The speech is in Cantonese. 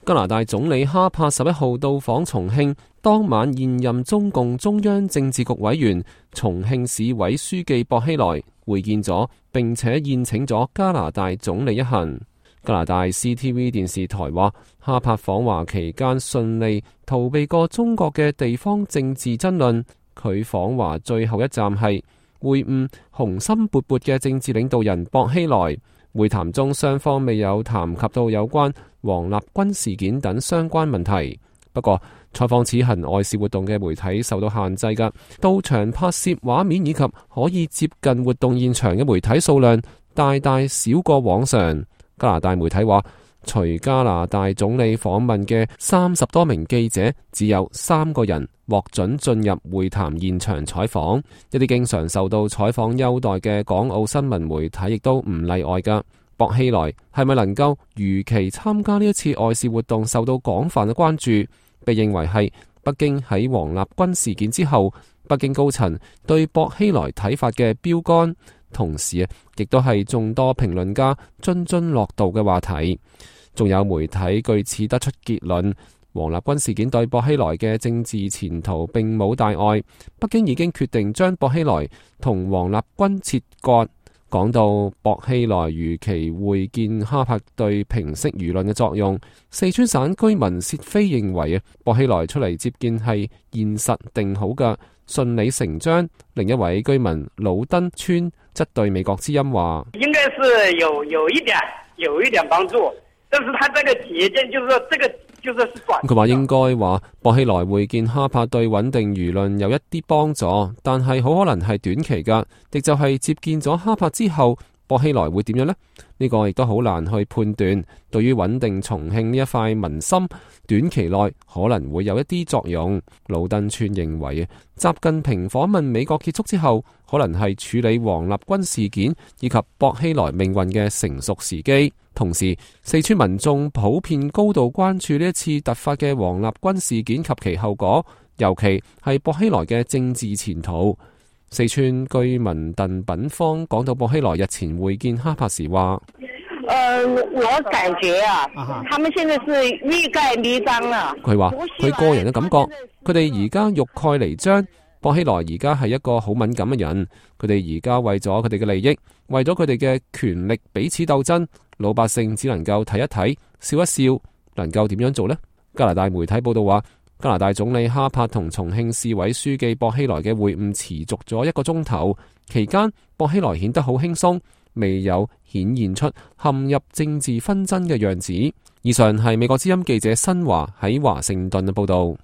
加拿大總理哈柏11號到訪重慶，當晚現任中共中央政治局委員、重慶市委書記薄熙來會見咗，並且宴請咗加拿大總理一行。加拿大 CTV 電視台話，哈柏訪華期間順利逃避過中國嘅地方政治爭論。佢訪華最後一站係會晤雄心勃勃嘅政治領導人薄熙來。會談中，雙方未有談及到有關王立軍事件等相關問題。不過，採訪此行外事活動嘅媒體受到限制㗎，到場拍攝畫面以及可以接近活動現場嘅媒體數量大大少過往常。加拿大媒體話，隨加拿大總理訪問嘅30多名記者，只有3個人獲准進入會談現場採訪。一啲經常受到採訪優待嘅港澳新聞媒體亦都唔例外㗎。薄熙來係咪能夠如期參加呢一次外事活動，受到廣泛嘅關注，被認為係北京喺王立軍事件之後，北京高層對薄熙來睇法嘅標杆。同時亦都係眾多評論家津津樂道嘅話題。仲有媒體據此得出結論，王立軍事件對薄熙來嘅政治前途並冇大礙，北京已經決定將薄熙來同王立軍切割。講到薄熙來如期會見哈柏對平息輿論嘅作用，四川省居民薛飛認為薄熙來出嚟接見係現實定好嘅，順理成章。另一位居民魯登村則對美國之音話：應該是有一點幫助，但是他這個節見就是說這個就是短。佢話應該話薄熙來會見哈柏對穩定輿論有一啲幫助，但係好可能係短期噶，亦就係接見咗哈柏之後，薄熙來會點樣呢？呢個亦都好難去判斷。對於穩定重慶呢一塊民心，短期內可能會有一啲作用。魯登村認為，習近平訪問美國結束之後，可能係處理王立軍事件以及薄熙來命運嘅成熟時機。同時，四川民眾普遍高度關注呢一次突發嘅王立軍事件及其後果，尤其係薄熙來嘅政治前途。四川居民鄧品芳講到薄熙來日前會見哈柏時話：我感覺他們現在是欲蓋彌彰啦。佢話佢個人嘅感覺，佢哋而家欲蓋彌彰。薄熙來而家係一個好敏感嘅人，佢哋而家為咗佢哋嘅利益，為咗佢哋嘅權力彼此鬥爭，老百姓只能夠睇一睇，笑一笑，能夠點樣做呢？加拿大媒體報道話，加拿大總理哈柏同重慶市委書記薄熙來嘅會晤持續咗1個鐘頭，期間薄熙來顯得好輕鬆，未有顯現出陷入政治紛爭嘅樣子。以上係美國之音記者新華喺華盛頓嘅報道。